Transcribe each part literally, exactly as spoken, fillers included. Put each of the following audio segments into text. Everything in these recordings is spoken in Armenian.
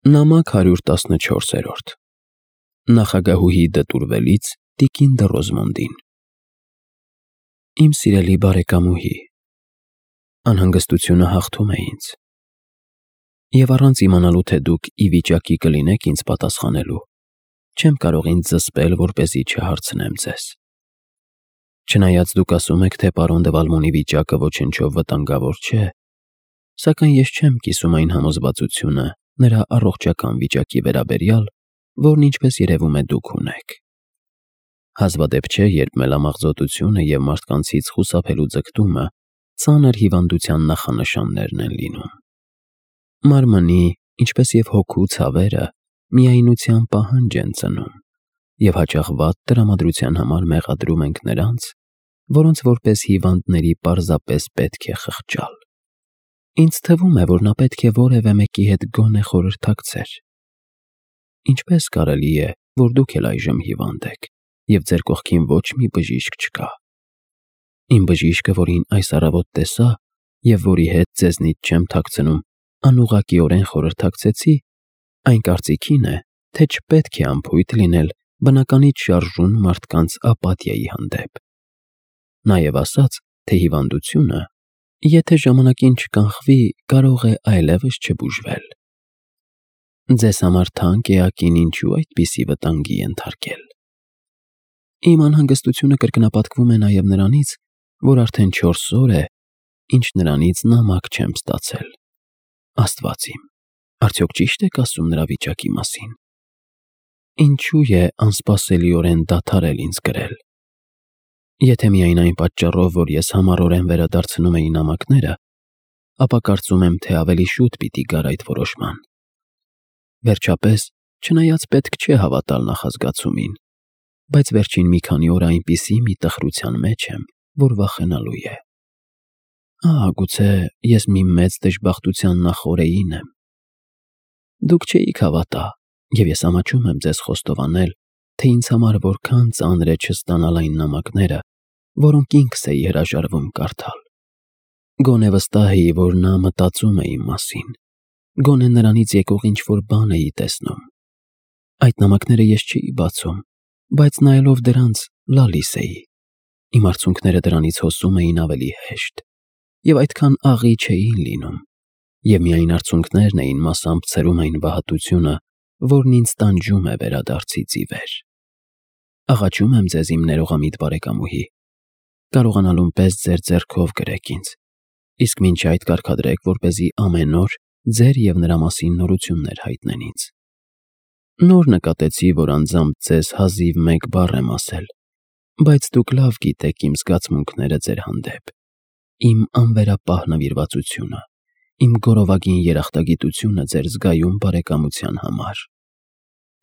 Նամակ հարյուր տասնչորսերորդ Նախագահուհի դտուրվելից տիկին դը Ռոզմոնդին։ Իմ սիրելի բարեկամուհի, անհանգստությունը հաղթում է ինձ, և առանց իմանալու, թե դուք ի վիճակի կլինեք ինձ պատասխանելու, չեմ կարող ինձ զսպել, որպեսզի չհարցնեմ ձեզ։ Չնայած դուք ասում եք, թե պարոն դը Վալմոնի վիճակը ոչնչով վտանգավոր չէ, սակայն ես չեմ կիսում այն համոզվածությունը նրա առողջական վիճակի վերաբերյալ, որն ինչպես երևում է դուք ունեք։ Հազվադեպ չէ, երբ մելամաղձոտությունը և մարդկանցից խուսափելու ձգտումը ծանր հիվանդության նախանշաններն են լինում։ Մարմնի, ինչպես և հոգու ցավերը միայնության պահանջ են ծնում, և հաճախ վատ տրամադրության համար մեղադրում ենք նրանց, որոնց որպես հիվանդների պարզապես պետք է խղճալ։ Ինձ թվում է, որ նա պետք է որևէ մեկի հետ գոնե խորհրդակցեր։ Ինչպե՞ս կարելի է, որ դուք էլ այժմ հիվանդ եք, և ձեր կողքին ոչ մի բժիշկ չկա։ Իմ բժիշկը, որին այս առավոտ տեսա, և որի հետ ձեզնից չեմ թաքցնում, անուղղակիորեն խորհրդակցեցի, այն կարծիքին է, թե չպետք է անփույթ լինել բնականից շարժուն մարդկանց ապաթիայի հանդեպ։ Նաև ասաց, թե հիվանդությունը, եթե ժամանակին չկանխվի, կարող է այլևս չբուժվել։ Ձեզ համար թանկ էակին ինչու այդպիսի վտանգի ենթարկել։ Իմ անհանգստությունը կրկնապատկվում է նաև նրանից, որ արդեն չորս օր է, ինչ նրանից նամակ չեմ ստացել։ Աստված իմ, արդյոք ճի՞շտ եք ասում նրա վիճակի մասին։ Ինչու է անսպասելիորեն դադարել ինձ գրել։ Եթե միայն այն պատճառով, որ ես համառորեն վերադարձնում էի նամակները, ապա կարծում եմ, թե ավելի շուտ պիտի գար այդ որոշման։ Վերջապես, չնայած պետք չէ հավատալ նախազգացումին, բայց վերջին մի քանի օր այնպիսի մի տխրության մեջ եմ, որ վախենալու է։ Ահա, գուցե ես մի մեծ դժբախտության նախօրեին եմ։ Դուք չէիք հավատա, և ես ամաչում եմ ձեզ խոստովանել, թե ինձ համար որքան ծանր է չստանալ այն նամակները, որոնք ինքս էի հրաժարվում կարդալ։ Գոնե վստահ էի, որ նա մտածում է իմ մասին, գոնե նրանից եկող ինչ-որ բան էի տեսնում։ Այդ նամակները ես չէի բացում, բայց նայելով դրանց լալիս էի։ Իմ արցունքները դրանից հոսում էին ավելի հեշտ, և այդքան աղի չէին լինում, և միայն արցունքներն էին մասամբ ցրում այն վհատությունը, որն ինձ տանջում է վերադարձից ի վեր։ Աղաչում եմ ձեզ, իմ ներողամիտ բարեկամուհի, կարողանալուն պես ձեր ձեռքով գրեք ինձ, իսկ մինչ այդ կարգադրեք, որպեսզի ամեն օր ձեր և նրա մասին նորություններ հայտնեն ինձ։ Նոր նկատեցի, որ անձամբ ձեզ հազիվ մեկ բառ եմ ասել, բայց դուք լավ գիտեք իմ զգացմունքները ձեր հանդեպ, իմ անվերապահ նվիրվածությունը, իմ գոռովագին երախտագիտությունը ձեր զգայուն բարեկամության համար։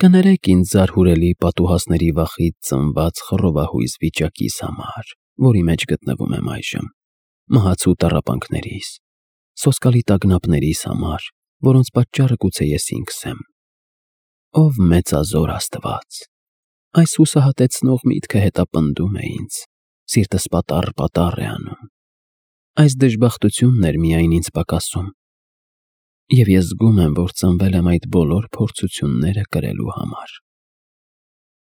Կներեք ինձ զարհուրելի պատուհասների վախից ծնված խռովահույս վիճակիս համար, որի մեջ գտնվում եմ այժմ, մահացու տառապանքներիս, սոսկալի տագնապներիս համար, որոնց պատճառը գուցե ես ինքս եմ։ Ով մեծազոր Աստված, այս հուսահատեցնող միտքը հետապնդում է ինձ, սիրտս պատառ-պատառ է անում։ Այս դժբախտությունն էր միայն ինձ պակասում, և ես զգում եմ, որ ծնվել եմ այդ բոլոր փորձությունները կրելու համար։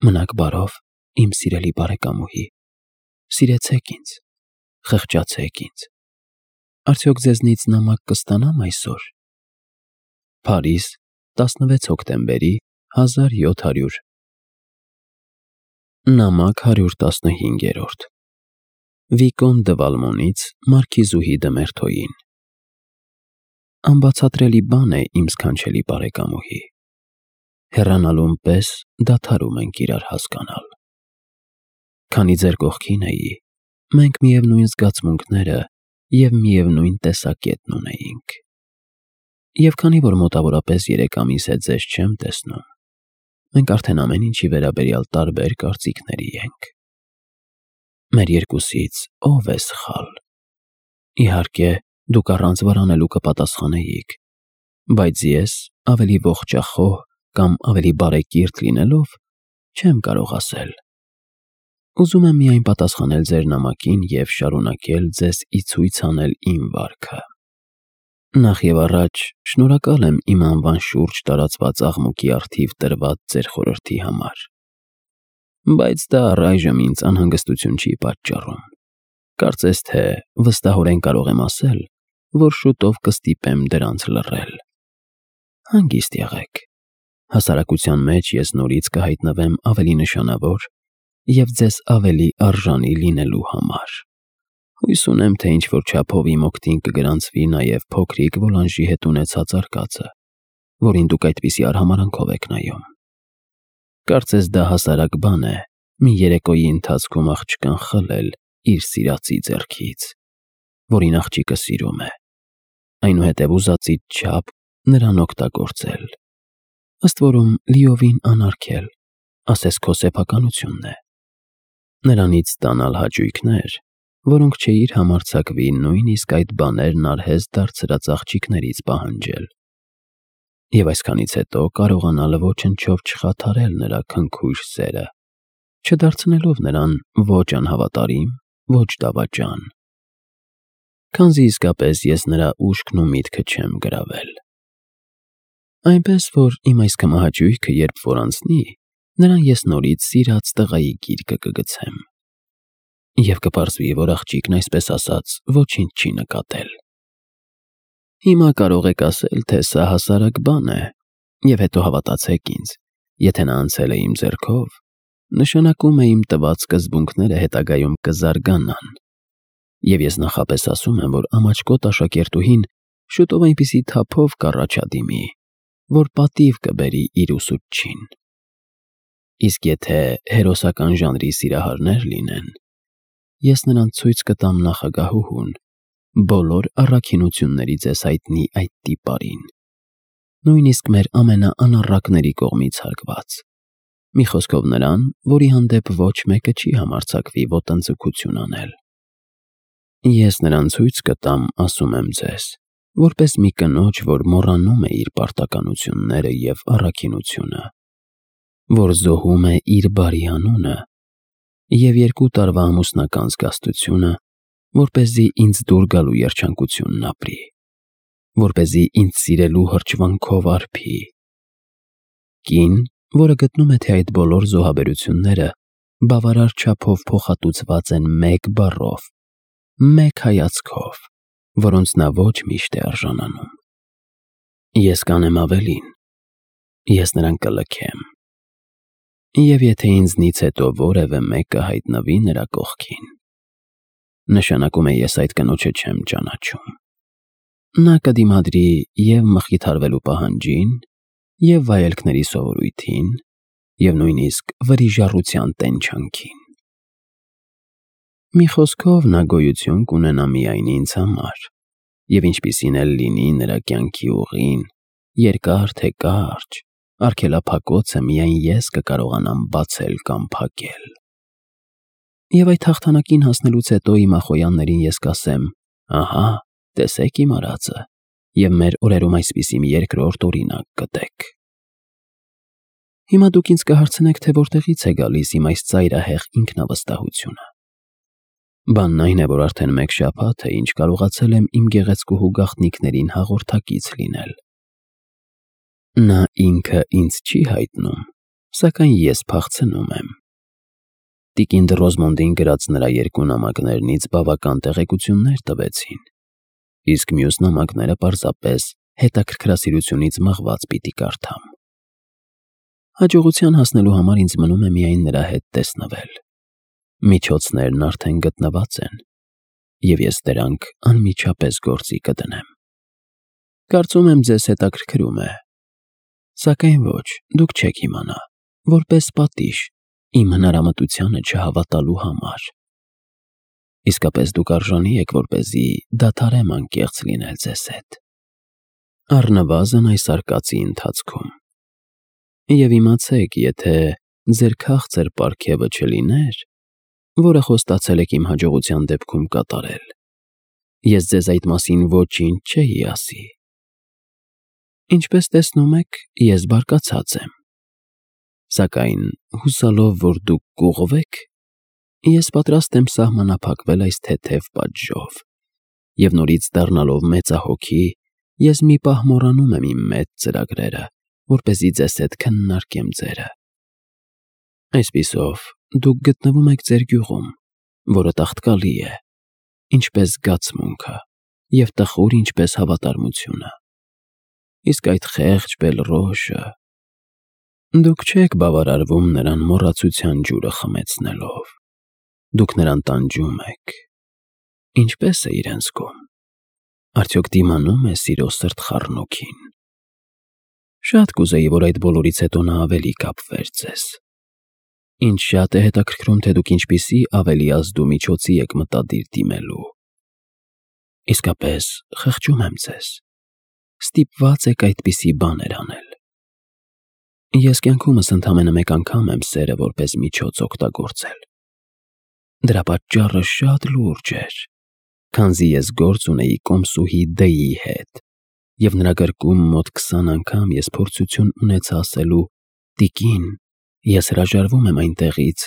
Մնաք բարով, իմ սիրելի բարեկամուհի, սիրեցեք ինձ, խղճացեք ինձ։ Արդյոք ձեզնից նամակ կստանամ այսօր։ Փարիզ, տասնվեց հոկտեմբերի հազար յոթ հարյուր Նամակ հարյուր տասնհինգերորդ Վիկոն դը Վալմոնից մարքիզուհի դը Մերթոյին։ Անբացատրելի բան է, իմ սքանչելի բարեկամուհի։ Հեռանալուն պես դադարում ենք իրար հասկանալ։ Քանի ձեր կողքին էի, մենք միևնույն զգացմունքները և միևնույն տեսակետն ունեինք։ Եվ քանի որ մոտավորապես երեք ամիս է ձեզ չեմ տեսնում, մենք արդեն ամեն ինչի վերաբերյալ տարբեր կարծիքների ենք։ Մեր երկուսից ո՞վ է սխալ։ Իհարկե, դուք առանց վարանելու կպատասխանեիք, բայց ես, ավելի ողջախոհ կամ ավելի բարեկիրթ լինելով, չեմ կարող ասել։ Ուզում եմ միայն պատասխանել ձեր նամակին և շարունակել ձեզ ի ցույց անել իմ վարքը։ Նախ եւ առաջ շնորհակալ եմ իմ անվան շուրջ տարածված աղմուկի առթիվ տրված ձեր խորհրդի համար, բայց դա առայժմ ինձ անհանգստություն չի պատճառում։ Կարծես թե վստահորեն կարող եմ ասել, որ շուտով կստիպեմ դրանց լռել։ Հանգիստ եղեք, հասարակության մեջ ես նորից կհայտնվեմ ավելի նշանավոր եւ ձեզ ավելի արժանի լինելու համար։ Հույս ունեմ, թե ինչ-որ չափով իմ օգտին կգրանցվի նաև փոքրիկ Վոլանժի հետ ունեցած արկածը, որին դուք այդպիսի արհամարանքով եք նայում։ Կարծես դա հասարակ բան է, մի երեկոյի ընթացքում աղջկան խլել իր սիրածի ձեռքից, որին աղջիկը սիրում է, այնուհետև ուզածից չափ նրան օգտագործել, ըստ որում լիովին անարգել, ասես քո սեփականությունն է, նրանից ստանալ հաճույքներ, որոնք չէիր համարձակվի նույնիսկ այդ բաներն արհեստ դարձրած աղջիկներից պահանջել, և այսքանից հետո կարողանալ ոչնչով չխաթարել նրա քնքուշ սերը, չդարձնելով նրան ոչ անհավատարիմ, ոչ դավաճան, քանզի իսկապես ես նրա ուշքն ու միտքը չեմ գրավել։ Այնպես որ իմ այս քմահաճույքը երբ որ անցնի, նրան ես նորից սիրած տղայի գիրկը կգցեմ, և կպարզվի, որ աղջիկն այսպես ասած ոչինչ չի նկատել։ Հիմա կարող եք ասել, թե սա հասարակ բան է, և հետո հավատացեք ինձ, եթե նա անցել է իմ ձեռքով, նշանակում է իմ տված սկզբունքները հետագայում կզարգանան, և ես նախապես ասում եմ, որ ամաչկոտ աշակերտուհին շուտով այնպիսի թափով կառաջադիմի, որ պատիվ կբերի իր ուսուցչին։ Իսկ եթե հերոսական ժանրի սիրահարներ լինեն, ես նրան ցույց կտամ նախագահուհուն, բոլոր առաքինությունների ձեզ հայտնի այդ տիպարին, նույնիսկ մեր ամենաանառակների կողմից հարգված, մի խոսքով նրան, որի հանդեպ ոչ մեկը չի համարձակվի ոտնձգություն անել։ Ես նրան ցույց կտամ, ասում եմ ձեզ, որպես մի կնոջ, որ մոռանում է իր պարտականությունները և առաքինությունը, որ զոհում է իր բարի անունը և երկու տարվա ամուսնական զգաստությունը, որպեսզի ինձ դուր գալու երջանկությունն ապրի, որպեսզի ինձ սիրելու հրճվանքով արբի։ Կին, որը գտնում է, թե այդ բոլոր զոհաբերությունները բավարար չափով փոխհատուցված են մեկ բառով, մեկ հայացքով, որոնց նա ոչ միշտ է արժանանում։ Ես կանեմ ավելին, ես նրան կլքեմ, և եթե ինձնից հետո որևէ մեկը հայտնվի նրա կողքին, նշանակում է ես այդ կնոջը չեմ ճանաչում։ Նա կդիմադրի և մխիթարվելու պահանջին, և վայելքների սովորույթին, և նույնիսկ վրիժառության տենչանքին։ Մի խոսքով նա գոյություն կունենա միայն ինձ համար, և ինչպիսին էլ լինի նրա կյանքի ուղին, երկար թե կարճ, արգելափակոցը միայն ես կկարողանամ բացել կամ փակել։ Եվ այդ հաղթանակին հասնելուց հետո իմ ախոյաններին ես կասեմ. ահա, տեսեք իմ արածը, և մեր օրերում այսպիսի մի երկրորդ օրինակ կտեք։ Հիմա դուք ինձ կհարցնեք, թե որտեղից է գալիս իմ այս ծայրահեղ ինքնավստահությունը։ Բանն այն է, որ արդեն մեկ շաբաթ է, ինչ կարողացել եմ իմ գեղեցկուհու գաղտնիքներին հաղորդակից լինել։ Նա ինքը ինձ չի հայտնում, սակայն ես փախցնում եմ։ Տիկին Ռոզմոնդին գրած նրա երկու նամակներնից բավական տեղեկություններ տվեցին, իսկ մյուս նամակները պարզապես հետաքրքրասիրությունից մղված պիտի կարդամ։ Հաջողության հասնելու համար ինձ մնում է միայն նրա հետ տեսնվել։ Միջոցներն արդեն գտնված են, և ես դրանք անմիջապես գործի կդնեմ։ Կարծում եմ ձեզ հետաքրքրում է, սակայն ոչ, դուք չեք իմանա, որպես պատիժ իմ հնարամտությանը չհավատալու համար։ Իսկապես դուք արժանի եք, որպեսզի դադարեմ անկեղծ լինել ձեզ հետ, առնվազն այս արկածի ընթացքում։ Եվ իմացեք, եթե ձեր քաղցր պարգևը չլիներ, որը խոստացել եք իմ հաջողության դեպքում կատարել, ես ձեզ այդ մասին ոչինչ չէի ասի։ Ինչպես տեսնում եք, ես բարկացած եմ, սակայն հուսալով, որ դուք կուղղվեք, ես պատրաստ եմ սահմանափակվել այս թեթև պատժով և նորից դառնալով մեծահոգի ես մի պահ մոռանում եմ իմ մեծ ծրագրերը, որպեսզի ձեզ հետ քննարկեմ ձերը։ Այսպիսով, դուք գտնվում եք ձեր գյուղում, որը տաղտկալի է, ինչպես զգացմունքը, և տխուր ինչպես հավատարմությունը։ Իսկ այդ խեղճ Բելռոշը… Դուք չեք բավարարվում նրան մոռացության ջուրը խմեցնելով, դուք նրան տանջում եք։ Ինչպե՞ս է իրեն զգում, արդյոք դիմանում է սիրո սրտխառնոքին։ Շատ կուզեի, որ այդ բոլորից հետո նա ավելի կապվեր ձեզ։ Ինձ շատ է հետաքրքրում, թե դուք ինչպիսի ավելի ազդու միջոցի եք մտադիր դիմելու։ Իսկապես, խղճում եմ ձեզ, ստիպված եք այդպիսի բաներ անել։ Ես կյանքումս ընդամենը մեկ անգամ եմ սերը որպես միջոց օգտագործել։ Դրա պատճառը շատ լուրջ էր, քանզի ես գործ ունեի կոմսուհի Դ-ի հետ, և նրա գրկում մոտ քսան անգամ ես փորձություն ունեցա ասելու. «Տիկին, ես հրաժարվում եմ այնտեղից,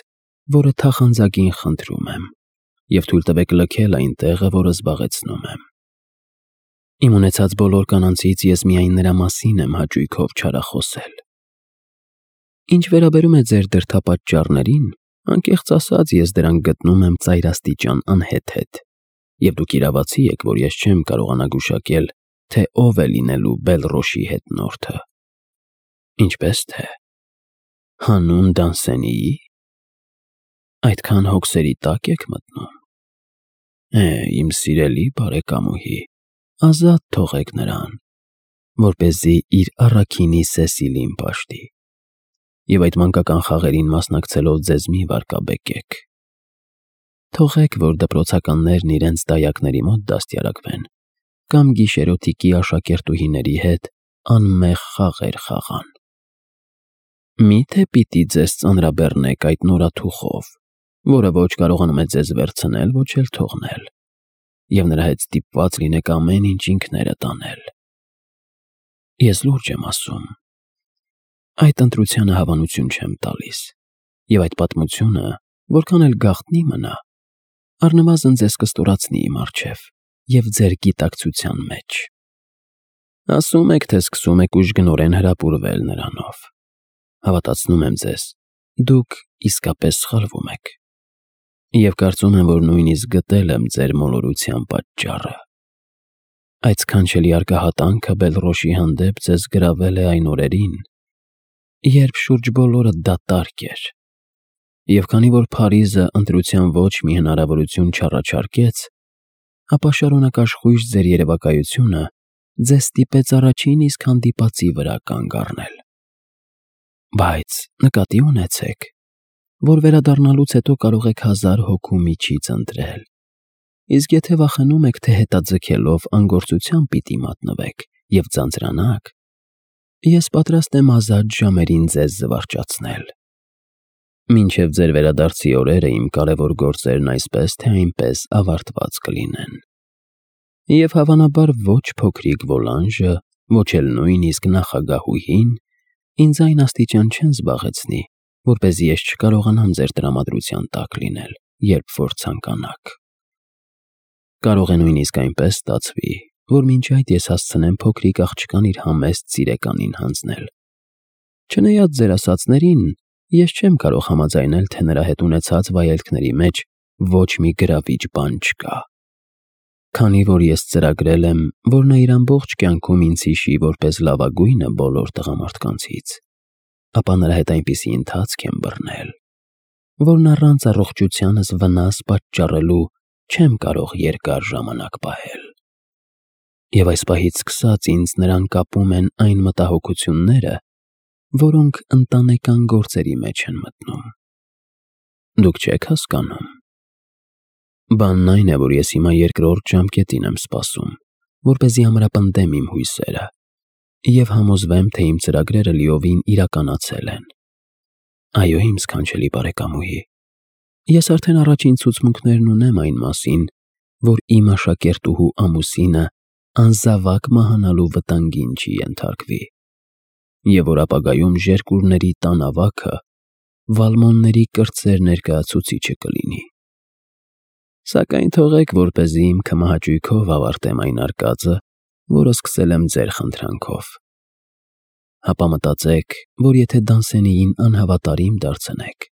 որը թախանձագին խնդրում եմ, և թույլ տվեք լքել այն տեղը, որը զբաղեցնում եմ»։ Իմ ունեցած բոլոր կանանցից ես միայն նրա մասին եմ հաճույքով չարախոսել։ Ինչ վերաբերում է ձեր դրդապատճառներին, անկեղծ ասած, ես դրանք գտնում եմ ծայրաստիճան անհեթեթ, և դուք իրավացի եք, որ ես չեմ կարողանա գուշակել, թե ով է լինելու Բելռոշի հետնորդը։ Ինչպես թե, հանուն Դանսենիի՞։ Այդքան հոգսերի տա՞կ եք մտնում։ Է, իմ սիրելի բարեկամուհի, ազատ թողեք նրան, որպեսզի իր առաքինի Սեսիլին պաշտի, և այդ մանկական խաղերին մասնակցելով ձեզ մի վարկաբեկեք։ Թողեք, որ դպրոցականներն իրենց դայակների մոտ դաստիարակվեն կամ գիշերօթիկի աշակերտուհիների հետ անմեղ խաղեր խաղան։ Մի՞թե պիտի ձեզ ծանրաբեռնեք այդ նորաթուխով, որը ոչ կարողանում է ձեզ վերցնել, ոչ էլ թողնել, և նրա հետ ստիպված լինեք ամեն ինչ ինքներդ անել։ Ես լուրջ եմ ասում, այդ ընտրությանը հավանություն չեմ տալիս, և այդ պատմությունը, որքան էլ գաղտնի մնա, առնվազն ձեզ կստորացնի իմ առջև և ձեր գիտակցության մեջ։ Ասում եք, թե սկսում եք ուժգնորեն հրապուրվել նրանով։ Հավատացնում եմ ձեզ, դուք իսկապես սխալվում եք, և կարծում եմ, որ նույնիսկ գտել եմ ձեր մոլորության պատճառը։ Այդ սքանչելի արկահատանքը Բելռոշի հանդեպ ձեզ գրավել է այն օրերին, երբ շուրջ բոլորը դատարկ էր, և քանի որ Փարիզը ընտրության ոչ մի հնարավորություն չառաջարկեց, ապա շարունակաշխույժ ձեր երևակայությունը ձեզ ստիպեց առաջին իսկ հանդիպածի վրա կանգ առնել։ Բայց նկատի ունեցեք, որ վերադառնալուց հետո կարող եք հազար հոգու միջից ընտրել, իսկ եթե վախենում եք, թե հետաձգելով անգործության պիտի մատնվեք և ձանձրանաք, ես պատրաստ եմ ազատ ժամերին ձեզ զվարճացնել։ Մինչև ձեր վերադարձի օրերը իմ կարևոր գործերն այսպես թե այնպես ավարտված կլինեն, և հավանաբար ոչ փոքրիկ Վոլանժը, ոչ էլ նույնիսկ նախագահուհին ինձ այն աստիճան չեն զբաղեցնի, որպեսզի ես չկարողանամ ձեր տրամադրության տակ լինել, երբ որ ցանկանաք։ Կարող է նույնիսկ այնպես ստացվի, որ մինչ այդ ես հասցնեմ փոքրիկ աղջկան իր համեստ սիրեկանին հանձնել։ Չնայած ձեր ասածներին, ես չեմ կարող համաձայնել, թե նրա հետ ունեցած վայելքների մեջ ոչ մի գրավիչ բան չկա։ Քանի որ ես ծրագրել եմ, որ նա իր ամբողջ կյանքում ինձ հիշի որպես լավագույնը բոլոր տղամարդկանցից, ապա նրա հետ այնպիսի ընթացք եմ բռնել, որն առանց առողջությանս վնաս պատճառելու չեմ կարող երկար ժամանակ պահել։ Եվ այս պահից սկսած ինձ նրան կապում են այն մտահոգությունները, որոնք ընտանեկան գործերի մեջ են մտնում։ Դուք չեք հասկանում։ Բանն այն է, որ ես հիմա երկրորդ ժամկետին եմ սպասում, որպեսզի ամրապնդեմ իմ հույսերը և համոզվեմ, թե իմ ծրագրերը լիովին իրականացել են։ Այո, իմ սքանչելի բարեկամուհի, ես արդեն առաջին ցուցմունքներն ունեմ այն մասին, որ իմ աշակերտուհու ամուսինը անզավակ մահանալու վտանգին չի ենթարկվի, և որ ապագայում ժերկուրների տան ավագը Վալմոնների կրտսեր ներկայացուցիչը կլինի։ Սակայն թողեք, որպեսզի իմ քմահաճույքով ավարտեմ այն արկածը, որը սկսել եմ ձեր խնդրանքով։ Հապա մտածեք, որ եթե Դանսենիին անհավատարիմ դարձնեք,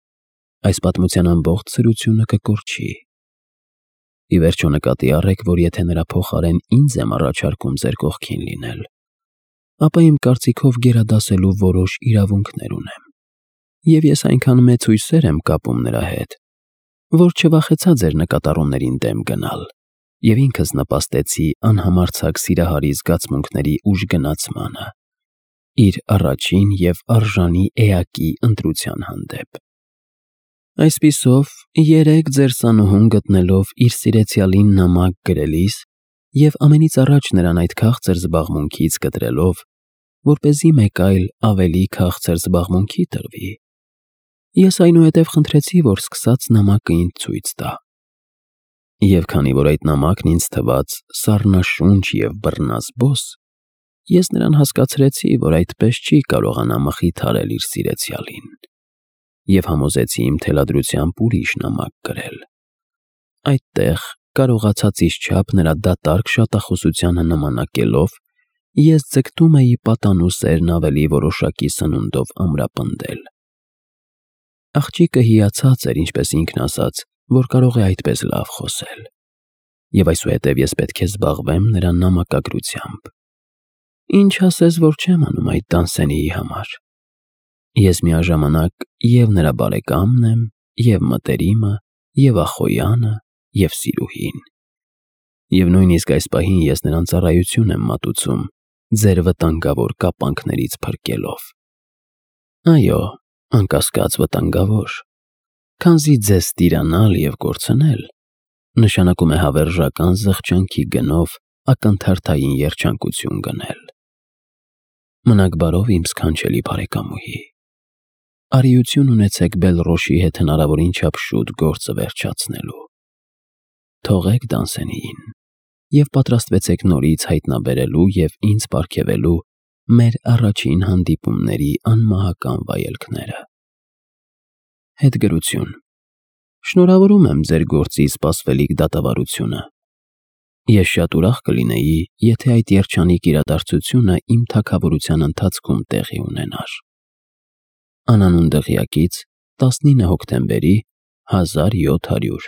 այս պատմության ամբողջ սրությունը կկորչի։ Ի վերջո նկատի առեք, որ եթե նրա փոխարեն ինձ եմ առաջարկում ձեր կողքին լինել, ապա իմ կարծիքով գերադասելու որոշ իրավունքներ ունեմ, և ես այնքան մեծ հույսեր եմ կապում նրա հետ, որ չվախեցա ձեր նկատառումներին դեմ գնալ, և ինքս նպաստեցի անհամարձակ սիրահարի զգացմունքների ուժգնացմանը իր առաջին և արժանի էակի ընտրության հանդեպ։ Այսպիսով, երեկ ձեր սանուհուն գտնելով իր սիրեցյալին նամակ գրելիս և ամենից առաջ նրան այդ քաղցր զբաղմունքից կտրելով, որպեսզի մեկ այլ ավելի քաղցր զբաղմունքի տրվի, ես այնուհետև խնդրեցի, որ սկսած նամակը ինձ ցույց տա։ Եվ քանի որ այդ նամակն ինձ թվաց սառնաշունչ և բռնազբոս, ես նրան հասկացրեցի, որ այդպես չի կարողանա մխիթարել իր սիրեցյալին, և համոզեցի իմ թելադրությամբ ուրիշ նամակ գրել։ Այդտեղ, կարողացածիս չափ նրա դատարկ շատախոսությանը նմանակելով, ես ձգտում էի պատանու սերն ավելի որոշակի սնունդով ամրապնդել։ Աղջիկը հիացած էր, ինչպես ինքն ասաց, որ կարող է այդպես լավ խոսել, և այսուհետև ես պետք է զբաղվեմ նրա նամակագրությամբ։ Ինչ ասես, որ չեմ անում այդ Դանսենիի համար։ Ես միաժամանակ և նրա բարեկամն եմ, և մտերիմը, և ախոյանը, և սիրուհին, և նույնիսկ այս պահին ես նրան ծառայություն եմ մատուցում ձեր վտանգավոր կապանքներից փրկելով։ Այո, անկասկած վտանգավոր, քանզի ձեզ տիրանալ և կորցնել նշանակում է հավերժական զղջանքի գնով ակնթարթային երջանկություն գնել։ Մնաք բարով, իմ սքանչելի բարեկամուհի։ Արիություն ունեցեք Բելռոշի հետ հնարավորին չափ շուտ գործը վերջացնելու։ Թողեք Դանսենիին և պատրաստվեցեք նորից հայտնաբերելու և ինձ պարգևելու մեր առաջին հանդիպումների անմահական վայելքները։ Հետգրություն։ Շնորհավորում եմ ձեր գործի սպասվելիք դատավարությունը։ Ես շատ ուրախ կլինեի, եթե այդ երջանիկ իրադարձությունը իմ թագավորության ընթացքում տեղի ունենար։ Անանուն դղյակից տասնինը հոկտեմբերի հազար յոթ հարյուր